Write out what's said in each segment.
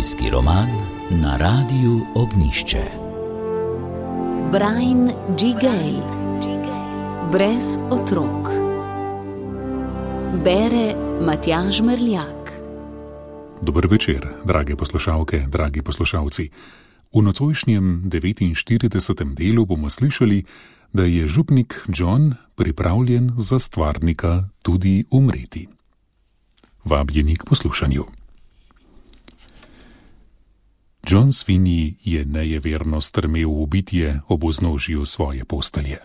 Zimski roman na Radiu Ognjišče. Brian G. Gale. Brez otrok. Bere Matjaž Merljak. Dober večer, drage poslušalke, dragi poslušalci. V nocojšnjem 49. delu bomo slišali, da je župnik John pripravljen za stvarnika tudi umreti. Vabljeni k poslušanju. John Sweeney je nejeverno strmel v bitje ob vznožju svoje postelje.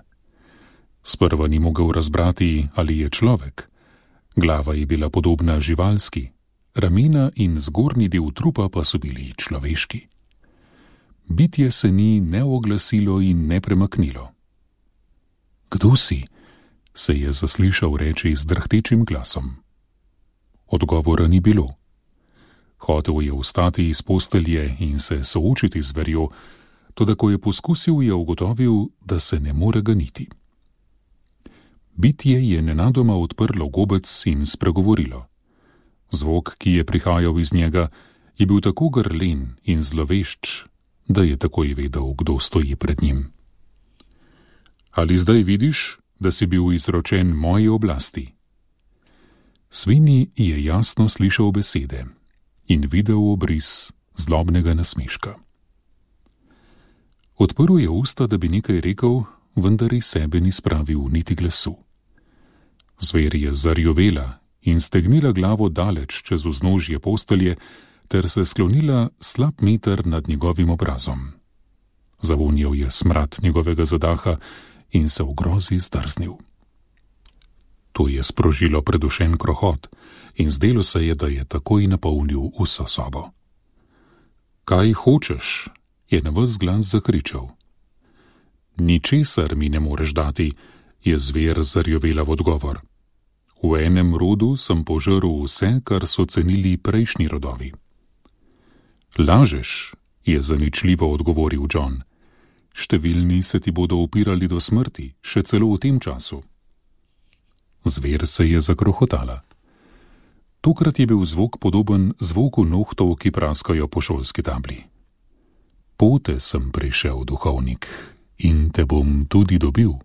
Sprva ni mogel razbrati, ali je človek. Glava je bila podobna živalski, ramena in zgornji del trupa pa so bili človeški. Bitje se ni ne oglasilo in ne premaknilo. Kdo si? Se je zaslišal reči z drhtečim glasom. Odgovora ni bilo. Hotel je vstati iz postelje in se soočiti z zverjo, toda ko je poskusil, je ugotovil, da se ne more ganiti. Bitje je nenadoma odprlo gobec in spregovorilo. Zvok, ki je prihajal iz njega, je bil tako grlen in zlovešč, da je takoj vedel, kdo stoji pred njim. Ali zdaj vidiš, da si bil izročen moji oblasti? Sweeney je jasno slišal besede in videl obris zlobnega nasmeška. Odprl je usta, da bi nekaj rekel, vendar iz sebe ni spravil niti glasu. Zver je zarjovela in stegnila glavo daleč čez vznožje postelje ter se sklonila slab meter nad njegovim obrazom. Zavonjal je smrad njegovega zadaha in se v grozi zdrznil. To je sprožilo predušen krohot in zdelo se je, da je takoj napolnil vso sobo. Kaj hočeš? Je na ves glas zakričal. Ničesar mi ne moreš dati, je zver zarjovela v odgovor. V enem rodu sem požrl vse, kar so cenili prejšnji rodovi. Lažeš, je zaničljivo odgovoril John. Številni se ti bodo upirali do smrti, še celo v tem času. Zver se je zakrohotala. Tokrat je bil zvok podoben zvoku nohtov, ki praskajo po šolski tabli. Pote sem prišel, duhovnik, in te bom tudi dobil.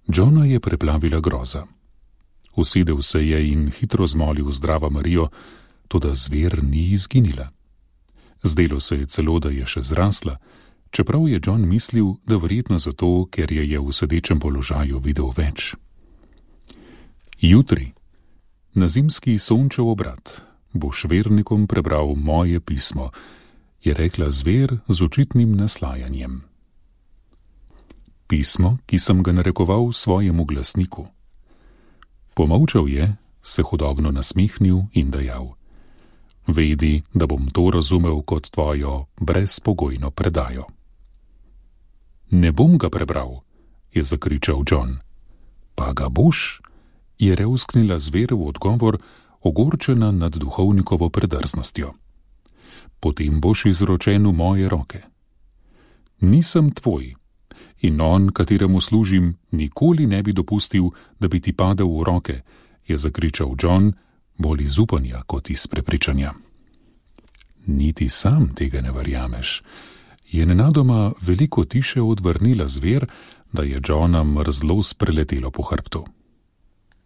Johna je preplavila groza. Usedel se je in hitro zmolil zdrava Marijo, toda zver ni izginila. Zdelo se je celo, da je še zrasla, čeprav je John mislil, da verjetno zato, ker je v sedečem položaju videl več. Jutri, na zimski sončev obrat, boš vernikom prebral moje pismo, je rekla zver z očitnim naslajanjem. Pismo, ki sem ga narekoval svojemu glasniku. Pomolčal je, se hudobno nasmihnil in dejal. Vedi, da bom to razumel kot tvojo brezpogojno predajo. Ne bom ga prebral, je zakričal John. Pa ga boš, je revsknila zver v odgovor, ogorčena nad duhovnikovo predrznostjo. Potem boš izročen v moje roke. Nisem tvoj in on, kateremu služim, nikoli ne bi dopustil, da bi ti padel v roke, je zakričal John, bolj iz upanja kot iz prepričanja. Niti sam tega ne verjameš, je nenadoma veliko tiše odvrnila zver, da je Johna mrzlost preletelo po hrbtu.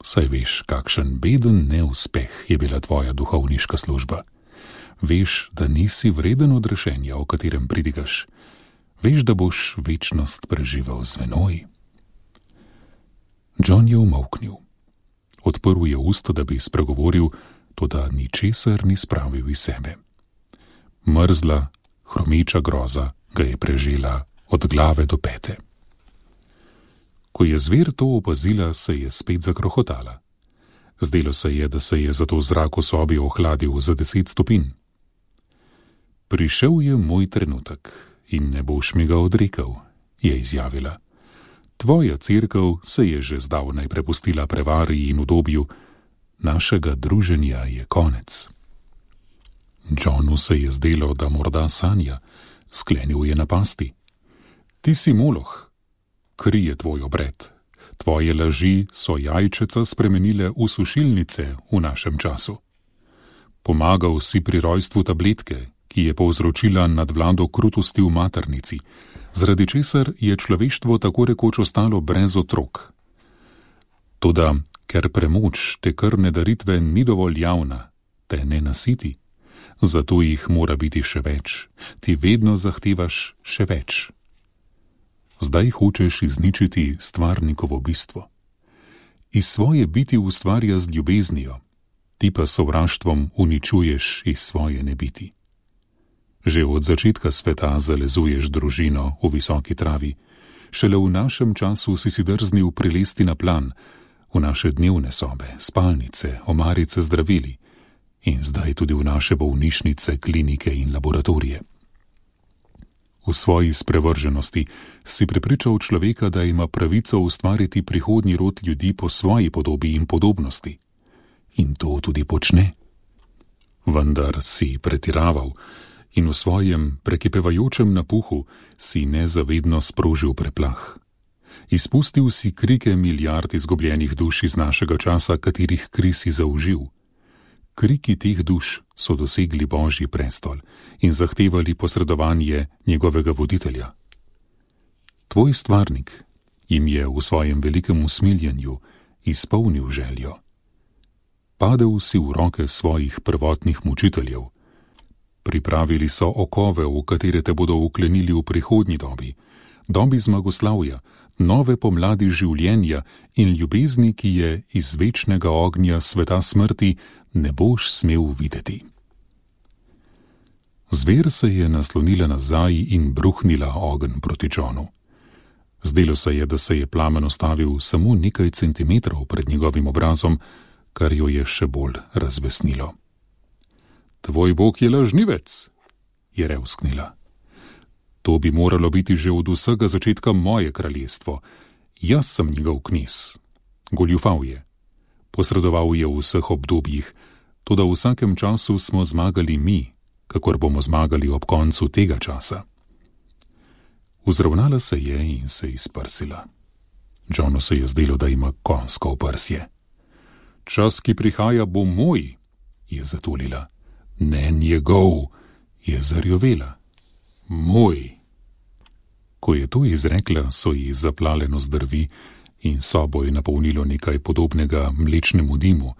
Saj veš, kakšen beden neuspeh je bila tvoja duhovniška služba. Veš, da nisi vreden odrešenja, o katerem pridigaš. Veš, da boš večnost preživel z menoj. John je umolknil. Odprl je usta, da bi spregovoril, toda ničesar ni spravil iz sebe. Mrzla, hromeča groza ga je prežela od glave do pete. Ko je zver to opazila, se je spet zakrohotala. Zdelo se je, da se je zato zrak v sobi ohladil za 10 stopinj. Prišel je moj trenutek in ne boš mi ga odrekel, je izjavila. Tvoja cerkev se je že zdavnaj prepustila prevari in udobju, našega druženja je konec. Johnu se je zdelo, da morda sanja, sklenil je napasti. Ti si Moloh, kri je tvoj obred, tvoje laži so jajčeca spremenile v sušilnice v našem času. Pomagal si pri rojstvu tabletke, ki je povzročila nadvlado krutosti v maternici, zaradi česar je človeštvo tako rekoč ostalo brez otrok. Toda, ker premoč te krvne daritve ni dovolj javna, te ne nasiti, zato jih mora biti še več, ti vedno zahtevaš še več. Zdaj hočeš izničiti stvarnikovo bistvo. Iz svoje biti ustvarja z ljubeznijo, ti pa sovraštvom uničuješ iz svoje nebiti. Že od začetka sveta zalezuješ družino v visoki travi, šele v našem času si drznil prilesti na plan, v naše dnevne sobe, spalnice, omarice zdravili in zdaj tudi v naše bolnišnice, klinike in laboratorije. V svoji sprevrženosti si prepričal človeka, da ima pravico ustvariti prihodnji rod ljudi po svoji podobi in podobnosti. In to tudi počne. Vendar si pretiraval in v svojem prekipevajočem napuhu si nezavedno sprožil preplah. Izpustil si krike milijard izgubljenih duš iz našega časa, katerih kri si zaužil. Kriki teh duš so dosegli Božji prestol in zahtevali posredovanje njegovega voditelja. Tvoj stvarnik jim je v svojem velikem usmiljenju izpolnil željo. Padel si v roke svojih prvotnih mučiteljev. Pripravili so okove, v katere te bodo vklenili v prihodnji dobi, dobi zmagoslavja, nove pomladi življenja in ljubezni, ki je iz večnega ognja sveta smrti ne boš smel videti. Zver se je naslonila nazaj in bruhnila ogenj proti Johnu. Zdelo se je, da se je plamen ustavil samo nekaj centimetrov pred njegovim obrazom, kar jo je še bolj razbesnilo. Tvoj Bog je lažnivec, je revsknila. To bi moralo biti že od vsega začetka moje kraljestvo. Jaz sem njegov knez. Goljufal je. Posredoval je v vseh obdobjih, toda v vsakem času smo zmagali mi, kakor bomo zmagali ob koncu tega časa. Vzravnala se je in se izprsila. Johnu se je zdelo, da ima konjsko oprsje. Čas, ki prihaja, bo moj, je zatulila. Ne njegov, je zarjovela. Moj. Ko je to izrekla, so ji zaplale nozdrvi in sobo je napolnilo nekaj podobnega mlečnemu dimu,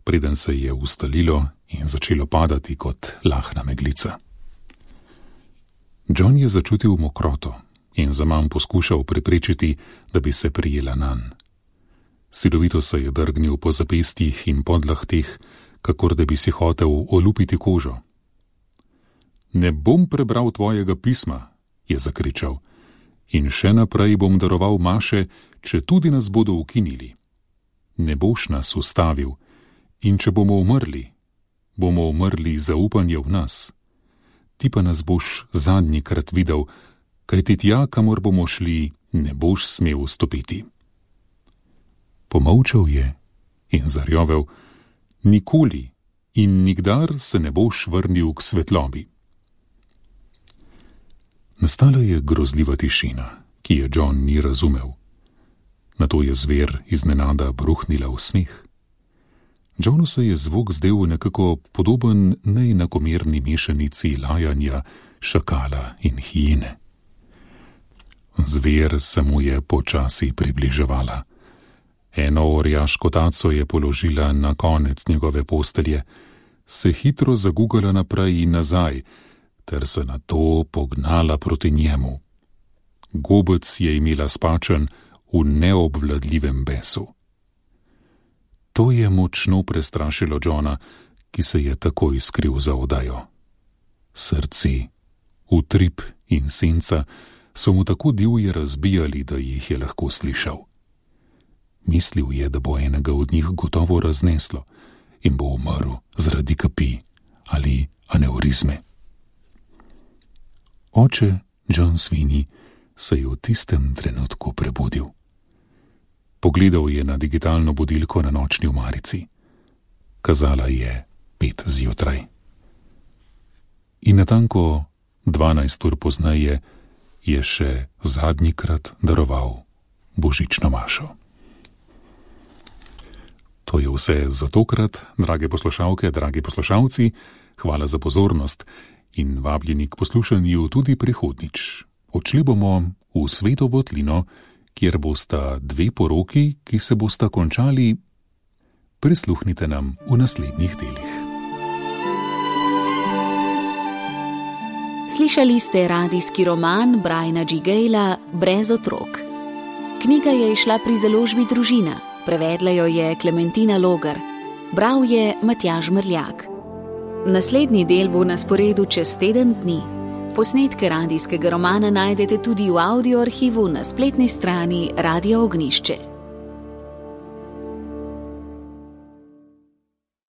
preden se je ustalilo in začelo padati kot lahna meglica. John je začutil mokroto in zaman poskušal preprečiti, da bi se prijela nanj. Silovito se je drgnil po zapestjih in podlahteh, kakor da bi si hotel olupiti kožo. Ne bom prebral tvojega pisma, je zakričal, in še naprej bom daroval maše, če tudi nas bodo ukinili. Ne boš nas ustavil, in če bomo umrli zaupanje v nas. Ti pa nas boš zadnjikrat videl, kajti tja, kamor bomo šli, ne boš smel vstopiti. Pomolčal je in zarjovel, nikoli in nikdar se ne boš vrnil k svetlobi. Nastala je grozljiva tišina, ki je John ni razumel. Nato je zver iznenada bruhnila v smeh. Johnu se je zvok zdel nekako podoben neenakomerni mešanici lajanja, šakala in hijene. Zver se mu je počasi približevala. Eno orjaško taco je položila na konec njegove postelje, se hitro zagugala naprej in nazaj, ter se nato pognala proti njemu. Gobec je imela spačen v neobvladljivem besu. To je močno prestrašilo Johna, ki se je takoj skril za odajo. Srce, utrip in senca so mu tako divje razbijali, da jih je lahko slišal. Mislil je, da bo enega od njih gotovo razneslo in bo umrl zaradi kapi ali aneurizme. Oče John Sweeney se je v tistem trenutku prebudil. Pogledal je na digitalno budilko na nočni omarici. Kazala je 5 zjutraj. In natanko 12 ur pozneje je še zadnjikrat daroval božično mašo. To je vse za tokrat, drage poslušalke, dragi poslušalci. Hvala za pozornost in vabljeni k poslušanju tudi prihodnjič. Odšli bomo v Sveto votlino, kjer bosta dve poroki, ki se bosta končali. Prisluhnite nam v naslednjih delih. Slišali ste radijski roman Briana G. Gayla Brez otrok. Knjiga je izšla pri založbi Družina, prevedla jo je Klementina Logar, bral je Matjaž Mrljak. Naslednji del bo na sporedu čez teden dni. Posnetke radijskega romana najdete tudi v audio arhivu na spletni strani Radia Ognjišče.